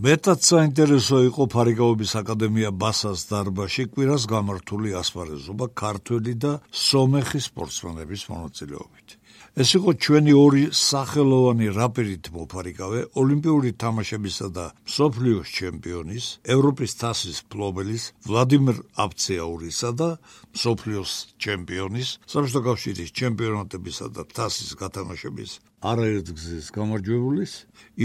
მეტად საინტერესო იყო ფარიკაობის აკადემია ბასას დარბაზში კვირას გამართული ასპარეზობა ქართველი და სომეხი სპორტსმენების მონაწილეობით. ეს იყო ჩვენი ორი სახელოვანი რაპირით მოფარიკავე ოლიმპიური თამაშებისა და მსოფლიოს ჩემპიონის, ევროპის თასის მფლობელის ვლადიმერ აბცეაურისა და მსოფლიოს ჩემპიონის, საბჭოთა კავშირის ჩემპიონატებისა და თასის გათამაშების არაერთგზის გამარჯვებულის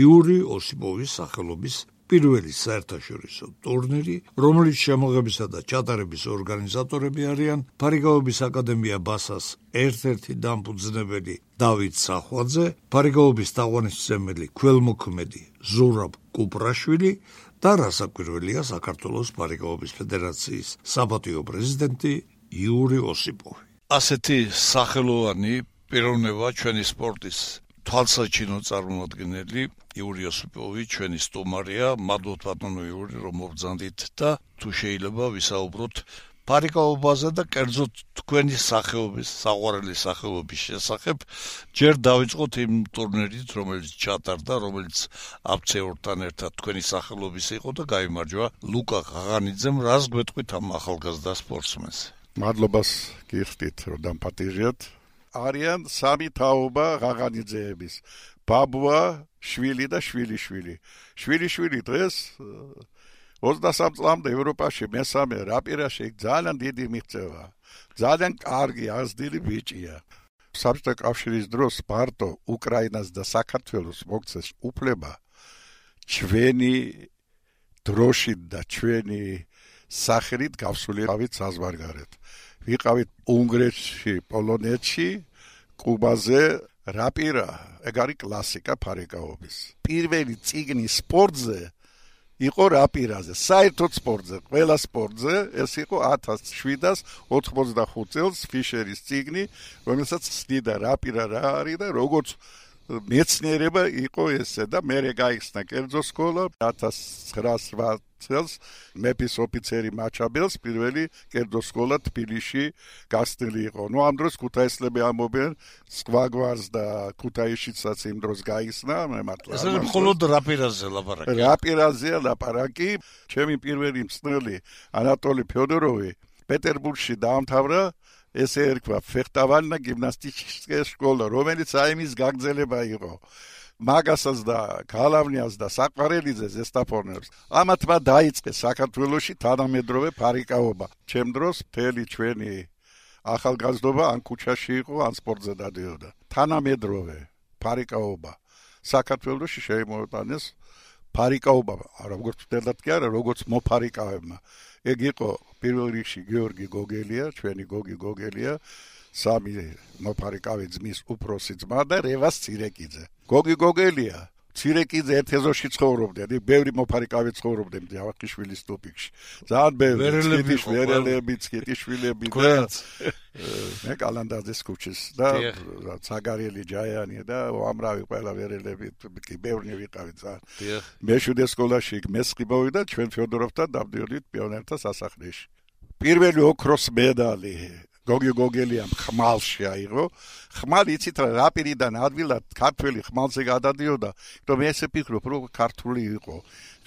იური ოსიპოვის სახელობის პირველი საერთაშორისო ტურნირი, რომელიც შემოღებისა და ჩატარების ორგანიზატორები არიან ფარიკაობის აკადემია ბასას ერთ-ერთი დამფუძნებელი დავით სახვაძე, ფარიკაობის თაყვანისმცემელი ქველმოქმედი ზურაბ კუპრაშვილი და რასაკვირველია საქართველოს ფარიკაობის ფედერაციის საპატიო პრეზიდენტი იური ოსიპოვი. ასეთი სახელოვანი პიროვნება ჩვენი სპორტის თვალსაჩინო წარმომადგენელი იური ოსიპოვი ჩვენი სტუმარია. მადლობთ ბატონო იური, რომ მობრძანდით და თუ შეიძლება ვისაუბროთ ფარიკაობაზე და კერძოდ თქვენი სახეობის, საყვარელი სახეობის შესახებ. ჯერ დავიწყოთ იმ ტურნირით, რომელიც ჩატარდა, რომელიც აბცეურთან ერთად თქვენი სახელობის იყო და გაიმარჯვა ლუკა ღაღანიძემ. რას გვეტყვით ამ ახალგაზრდა სპორტსმენს? მადლობას გიხდით, რომ დამპატიჟეთ. არიან სამი თაობა ღაღანიძეების: ბაბუა, შვილი და შვილიშვილი. შვილიშვილი დღეს 23 წლამდე ევროპაში მესამე რაპირაში ძალიან დიდი მიღწევა. ძალიან კარგი აზრდილი ბიჭია. საბჭოთა კავშირის დროს მარტო უკრაინას და საქართველოს მოგცეს უფლება ჩვენი დროშით და ჩვენი სახელით გავსულიყავით საზღვარგარეთ. ვიყავით უნგრეთში, პოლონეთში, კუბაზე. რაპირა, ეგ არის კლასიკა ფარიკაობის. პირველი წიგნი სპორტზე იყო რაპირაზე, საერთოდ სპორტზე, ყველა სპორტზე. ეს იყო 1785 წელს ფიშერის წიგნი, რომელსაც ცდიდა რაპირა რა არის და როგორც მეცნიერება იყო ესე და მერე გაიხსნა კერძო სკოლა 1908 წელს მეფის ოფიცერი მაჩაბელს პირველი კერძო სკოლა თბილისში გასწრილი იყო. ამ დროს ქუთაისლები ამობენ სკვაგვარს და ქუთაისშიცაც იმ დროს გაიხსნა მართლა. ეს მხოლოდ რაპირაზე ლაპარაკი. რაპირაზეა ლაპარაკი. ჩემი პირველი მწვრთნელი ანატოლი ფიოდოროვი პეტერბურგში დაამთავრა ესე ერქვა ფეხტავანა გიმნასტიკის სკოლა, რომელიც აიმის გაგრძელება იყო. მაგასას და გალავნიას და საყარელიძეს ესტაფონებს. ამათმა დაიწყეს საქართველოში თანამედროვე ფარიკაობა. ჩემ დროს მთელი ჩვენი ახალგაზრდობა ან ქუჩაში იყო, ან სპორტზე დადიოდა. თანამედროვე ფარიკაობა. საქართველოში შეიმოიტანეს ფარიკაობა, როგორც ვთქვათ კი არა, როგორც მოფარიკავებმა. ეგ იყო პირველ რიგში გიორგი გოგელია, ჩვენი გოგი გოგელია, სამი მოფარიკავე ძმის უფროსი ძმა და რევას ცირეკიძე. გოგი გოგელია, ცირეკიძე ერთ ეზოში ცხოვრობდნენ, ბევრი მოფარიკავე ცხოვრობდნენ ჯავახიშვილის ტუპიკში. ძალიან ბევრი ვერელები, ცკიტიშვილები და მე კალანდაძის ქუჩის და ცაგარელი ჯაიანი და უამრავი ყველა ვერელები კი ბევრი ვიყავით ძალიან. მეშვიდე სკოლაში მესხი მოვიდა, ჩვენ ფიოდოროვთან დავდიოდით პიონერთა სასახლეში. პირველი ოქროს მედალი გოგი გოგელიამ ხმალში აიღო. ხმალი იცით რა რაპირიდან ადვილად ქართველი ხმალზე გადადიოდა, რომ ესე ფიქრობ, რომ ქართული იყო.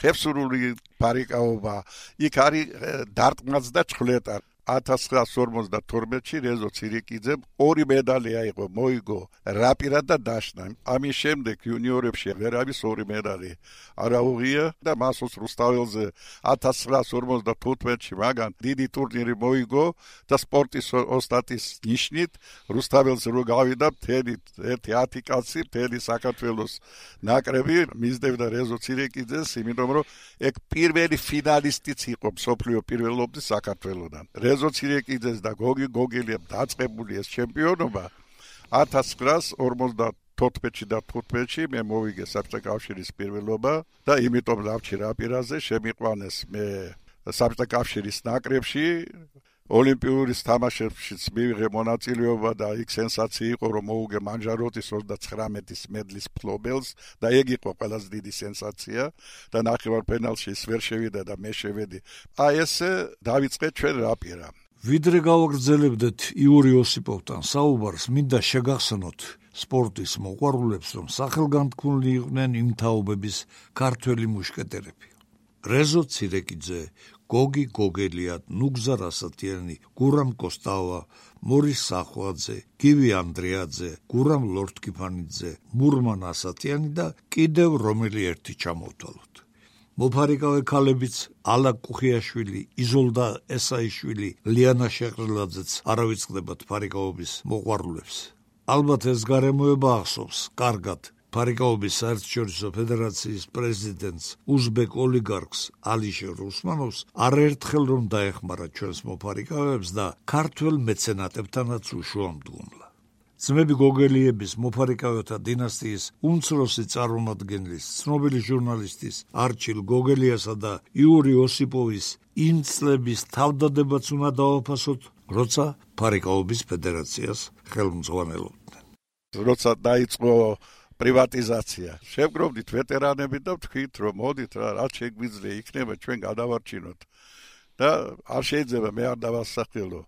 ხევსურული ფარიკაობა, იქ არის დარტყმაც და ჩხლეტა. 1952-ში რეზო ცირიკიძემ ორი მედალი აიღო, მოიგო რაპირა და დაშნა. ამის შემდეგ იუნიორებში ვერავის ორი მედალი არ აუღია და მასოს რუსთაველზე 1955-ში მაგან დიდი ტურნირი მოიგო და სპორტის ოსტატის ნიშნით რუსთაველზე რო გავიდა მთელი 10 კაცი მთელი საქართველოს ნაკრები მისდევდა რეზო ცირიკიძეს, იმიტომ რომ ეგ პირველი ფინალისტიც იყო მსოფლიო პირველობის საქართველოდან. რეზო ცირეკიძეს და გოგი გოგელიამ დაწყებული ეს ჩემპიონობა 1954-ში და 15-ში მე მოვიგე საბჭოთა კავშირის პირველობა და იმიტომ დავჭი რაპირაზე, შემიყვანეს მე საბჭოთა კავშირის ნაკრებში. ოლიმპიური თამაშებშიც მივიღე მონაწილეობა და იქ სენსაცია იყო, რომ მოუგე მანჟაროტის 39 მედლის მფლობელს და ეგ იყო ყველაზე დიდი სენსაცია და ნახევარფინალში ის ვერ შევიდა და მე შევედი. აი ესე დავიწყე ჩვენ რაპირა. ვიდრე გავაგრძელებდეთ იური ოსიპოვთან საუბარს, მინდა შეგახსნოთ სპორტის მოყვარულებს, რომ სახელგანთქმული იყვნენ იმ თაობების ქართველი მუშკეტერები. რეზო ცირეკიძე, გოგი გოგელია, ნუგზა რასათიანი, გურამ კოსტავა, მორის სახვაძე, გივი ანდრეაძე, გურამ ლორთკიფანიძე, მურმან ასათიანი და კიდევ რომელი ერთი ჩამოვთვალოთ. მოფარიკავე ქალებიც ალა კუხიაშვილი, იზოლდა ესაიშვილი, ლიანა შეყრილაძეც არავიწყდებათ ფარიკაობის მოყვარულებს. ალბათ ეს გარემოება ახსოვს კარგად ფარიკაობის საერთაშორისო ფედერაციის პრეზიდენტს უზბეკ ოლიგარქს ალიშერ უსმანოვს არაერთხელ რომ დაეხმარა ჩვენს მოფარიკავებს და ქართველ მეცენატებთანაც უშუამდგომლა. ძმები გოგელიების მოფარიკავეთა დინასტიის უმცროსი წარმომადგენლის, ცნობილი ჟურნალისტის არჩილ გოგელიასა და იური ოსიპოვის იმ წლების თავდადებაც უნდა დავაფასოთ, როცა ფარიკაობის ფედერაციას ხელმძღვანელობდნენ. როცა დაიწყო პრივატიზაცია, შევგროვდით ვეტერანები და ვთქვით, რომ მოდით რა, რაც შეგვიძლია იქნება ჩვენ გადავარჩინოთ და არ შეიძლება მე არ დავასახელო.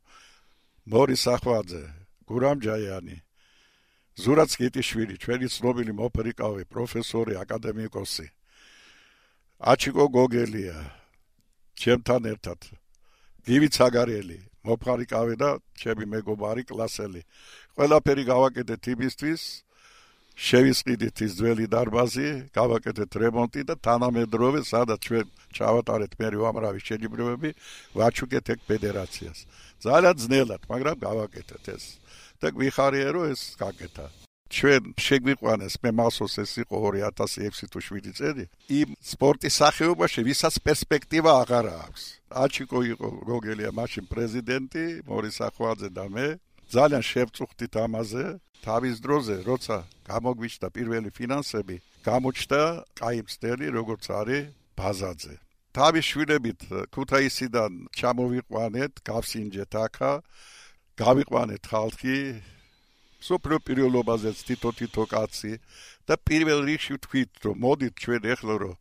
მორის სახვაძე, გურამ ჯაიანი, ზურაც გიტიშვილი, ჩვენი ცნობილი მოფარიკავე პროფესორი, აკადემიკოსი, აჩიკო გოგელია, ჩემთან ერთად, გივი ცაგარელი, მოფარიკავე და ჩემი მეგობარი კლასელი. ყველაფერი გავაკეთეთ იმისთვის, შევისყიდით ის ძველი დარბაზი, გავაკეთეთ რემონტი და თანამედროვე, სადაც ჩვენ ჩავატარეთ მე უამრავი შეჯიბრებები, ვაჩუქეთ ეგ ფედერაციას. ძალიან ძნელად, მაგრამ გავაკეთეთ ეს. და გვიხარია, რომ ეს გაკეთა. ჩვენ შეგვიყვანეს, მე მახსოვს ეს იყო 2006 თუ 7 წელი, იმ სპორტის სახეობაში, ვისაც პერსპექტივა აღარ აქვს. აჩიკო იყო გოგელია მაშინ პრეზიდენტი, მორის სახვაძე და მე. ძალიან შევწუხდით ამაზე. თავის დროზე, როცა გამოგვიჩნდა პირველი ფინანსები, გამოჩნდა კაი მცდელი, როგორც არის ბაზაძე. თავის შვილებით ქუთაისიდან ჩამოვიყვანეთ, გავსინჯეთ აქა, გავიყვანეთ ხალხი, სოფლიო პირველობაზეც თითო კაცი და პირველ რიგში ვთქვით, რომ მოდით ჩვენ ეხლა რომ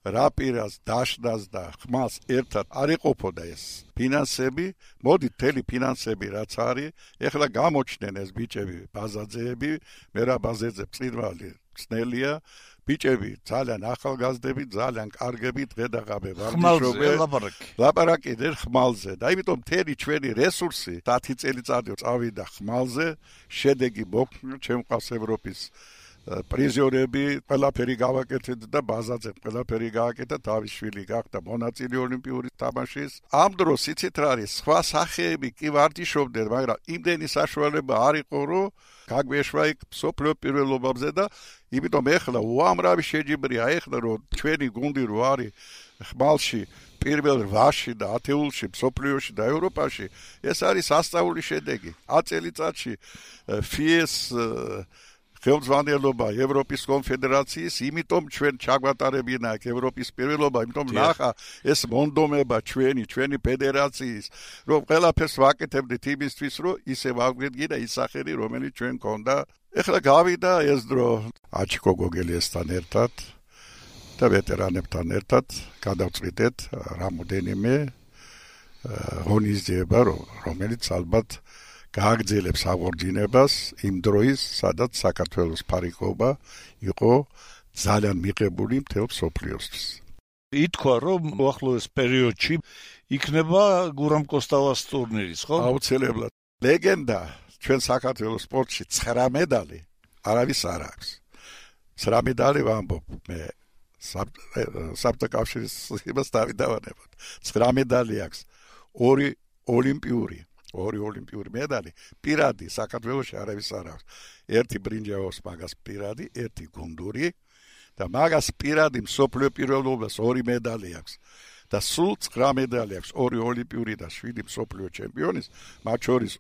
რა პირას დაშნას და ხმას ერთად არ ეყოფოდა ეს ფინანსები, მოდით მთელი ფინანსები რაც არის, ეხლა გამოჩნდნენ ეს ბიჭები, ბაზაძეები, მე რა ბაზეძე წინვალი ცნელია, ბიჭები ძალიან ახალგაზრდები, ძალიან კარგები, დღედაღამე ვარჯიშობენ, ლაპარაკობენ ხმალზე და იმიტომ მთელი ჩვენი რესურსი 10 წელიწადი წავიდა ხმალზე, შედეგი მოგვყვა, ჩემყავს ევროპის პრიზიორები, ყველაფერი გავაკეთეთ და ბაზაძე ყველაფერი გააკეთა, თავის შვილი გახდა მონაწილე ოლიმპიური თამაშის. ამ დროს იცით რა არის, სხვა სახეები კი ვარჯიშობდნენ, მაგრამ იმდენი საშუალება არ იყო, რომ გაგვეშვა იქ სოფლიო პირველობებზე და იმიტომ ეხლა უამრავი შეჯიბრია, ეხლა რომ ჩვენი გუნდი რო არის ხმალში პირველ 8-ში და ათეულში, სოფლიოში და ევროპაში, ეს არის სასწაული შედეგი. 10 წელიწადში FIES ხელმძღვანელობა ევროპის კონფედერაციის, იმიტომ ჩვენ ჩაგვატარებინა აქ ევროპის პირველობა, იმიტომ ნახა ეს მონდომება ჩვენი ფედერაციის, რომ ყველაფერს ვაკეთებდით იმისთვის, რომ ისე ვაგვედგინა ის სახელი, რომელიც ჩვენ გქონდა. ეხლა გავიდა ეს დრო აჩიკო გოგელიასთან ერთად და ვეტერანებთან ერთად გადავწყვიტეთ რამოდენიმე ღონისძიება, რომელიც ალბათ გააგრძელებს აღორძინებას იმ დროის, სადაც საქართველოს ფარიკაობა იყო ძალიან მიღებული მთელ მსოფლიოსთვის. ითქვა, რომ უახლოეს პერიოდში იქნება გურამ კოსტავას ტურნირის, ხო? აუცილებლად. ლეგენდა ჩვენ საქართველოს სპორტში 9 მედალი არავის არ აქვს. 9 მედალი ვამბობ მე საბჭოთა კავშირის იმას დავიდავანებოთ. 9 მედალი აქვს, 2 ოლიმპიური მედალი პირადი საქართველოში არავის არ აქვს. ერთი ბრინჯაოს მაგას პირადი, ერთი გუნდური და მაგას პირადი მსოფლიო პირველობას 2 მედალი აქვს. და სულ 9 მედალი აქვს, 2 ოლიმპიური და 7 მსოფლიო ჩემპიონის, მათ შორის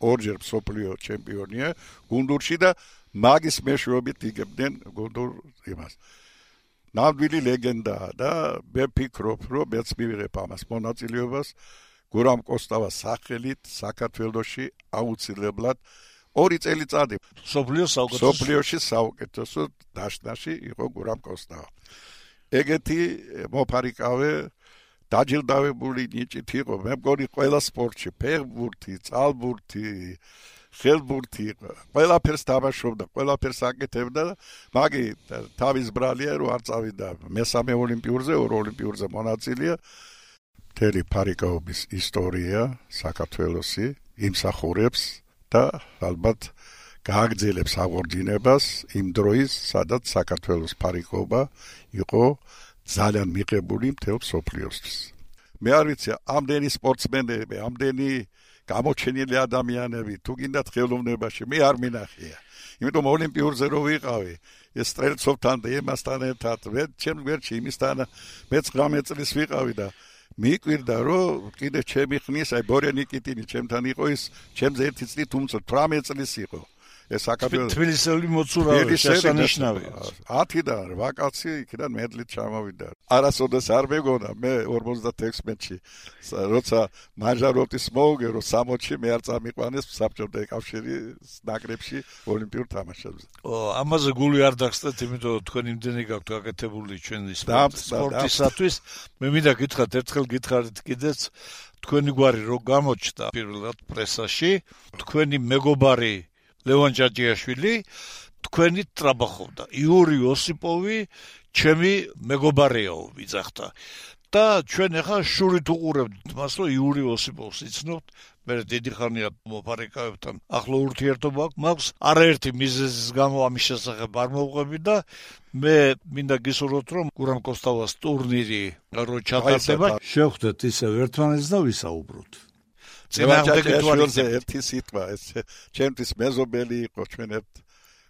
2-ჯერ მსოფლიო ჩემპიონია გუნდურში და მაგის მეშვეობით იგებდნენ გუნდურ იმას. ნამდვილი ლეგენდაა და მე ფიქრობ, რომ მეც მივიღებ ამას მონაწილეობას. გურამ კოსტავას სახელით საქართველოში აუცილებლად 2 წელიწადი სოფლიოში საუკეთესო დაშნაში იყო გურამ კოსტავა. ეგეთი მოფარიკავე დაჯილდოვებული ნიჭით იყო. მე მგონი ყველა სპორტში, ფეხბურთი, წყალბურთი, ხელბურთი იყო. ყველაფერს თამაშობდა, ყველაფერს აკეთებდა და მაგი თავის ბრალია რომ არ წავიდა მესამე ოლიმპიურზე, ორ ოლიმპიურზე მონაწილეა. მთელი ფარიკაობის ისტორია საქართველოსი იმსახურებს და ალბათ გააგრძელებს აღორძინებას იმ დროის, სადაც საქართველოს ფარიკაობა იყო ძალიან მიღებული მთელ მსოფლიოსთვის. მე არ ვიცი, ამდენი სპორტსმენები, ამდენი გამოჩენილი ადამიანები, თუ გინდათ ხელოვნებაში, მე არ მინახია. იმიტომ ოლიმპიურზე რო ვიყავი, ეს სტრელცოვთან და იმასთან ერთად, ჩემ გვერდში იმისთან მე 19 წლის ვიყავი და მიკვირდა რომ კიდე ჩემი ხნის, აი ბორე ნიკიტინი ჩემთან იყო, ის ჩემზე ერთი წლით უმცრო 18 წლის იყო. ეს საქართველოს თბილისელი მოცურავე შესანიშნავია. 10-დან 8 კაცი იქიდან მედლით ჩამოვიდა. არასოდეს არ მეგონა მე 56-ში, როცა მაჟაროტის მოუგე რომ 60-ში მე არ წამიყვანეს საბჭოთა კავშირის ნაკრებში ოლიმპიურ თამაშებზე. ამაზე გული არ დაგსტეთ, იმიტომ რომ თქვენ იმდენი გაქვთ გაკეთებული ჩვენი სპორტისათვის. მე მინდა გითხრათ, ერთხელ გითხარით კიდეც თქვენი გვარი რო გამოჩნდა პირველად პრესაში, თქვენი მეგობარი ლევან ჯაჯიაშვილი თქვენი ტრაბახობდა. იური ოსიპოვი ჩემი მეგობარეო ვიძახდა. და ჩვენ ახლა შურით უყურებთ მას, რომ იური ოსიპოვს იცნობთ. მე დიდი ხანია მოფარიკაებთან ახლო ურთიერთობა მაქვს. არაერთი მიზეზის გამო ამის შესახებ არ მოვყვები და მე მინდა გისურვოთ, რომ გურამ კოსტავას ტურნირი რო ჩატარდება, შევხვდეთ ისევ ერთმანეთს და ვისაუბროთ. ერთი სიტყვა, ეს ჩემთვის მეზობელი იყო, ჩვენ ერთ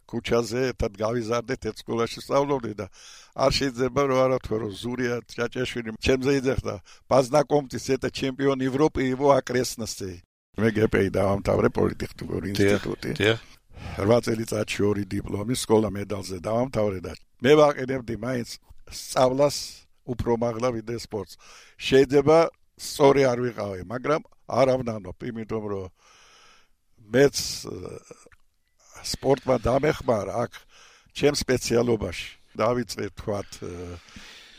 ქუჩაზე ერთად გავიზარდეთ, ერთ სკოლაში სწავლობდი და არ შეიძლება რომ არა თქვა რომ ზურია ჭაჭაშვილი ჩემზე იძახდა, პაზნაკომტის eta ჩემპიონ ევროპი იყო აკრესნასე. მე გეპეი დავამთავრე პოლიტექნიკური ინსტიტუტი. 8 წელიწადში 2 დიპლომი, სკოლა მედალზე დავამთავრე და მე ვაყენებდი მაინც სწავლას უფრო მაღლა ვიდრე სპორტს. შეიძლება სწორი არ ვიყავი, მაგრამ არ ავნანობ, იმიტომ რომ მეც სპორტმა დამეხმარა აქ ჩემ სპეციალობაში. დავიწყე თქვათ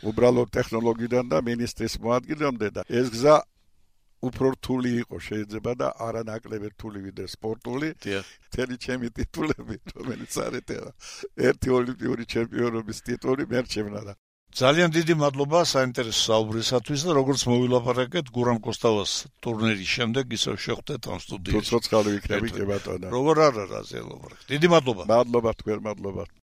უბრალოდ ტექნოლოგიიდან და ministris მოადგილემდე და ეს გზა უფრო რთული იყო შეიძლება და არანაკლები რთული ვიდრე სპორტული. მთელი ჩემი ტიტულები, რომელიც არის ერთი ოლიმპიური ჩემპიონობის ტიტული მერჩევნა და ძალიან დიდი მადლობა საინტერესო საუბრისათვის და როგორც მოვილაპარაკეთ გურამ კოსტავას ტურნირის შემდეგ ისევ შეხვდეთ ამ სტუდიაში. თუ ცოცხალი ვიქნები კი ბატონო. როგორ არა რაზე ლაპარაკეთ. დიდი მადლობა. მადლობა თქვენ, მადლობა.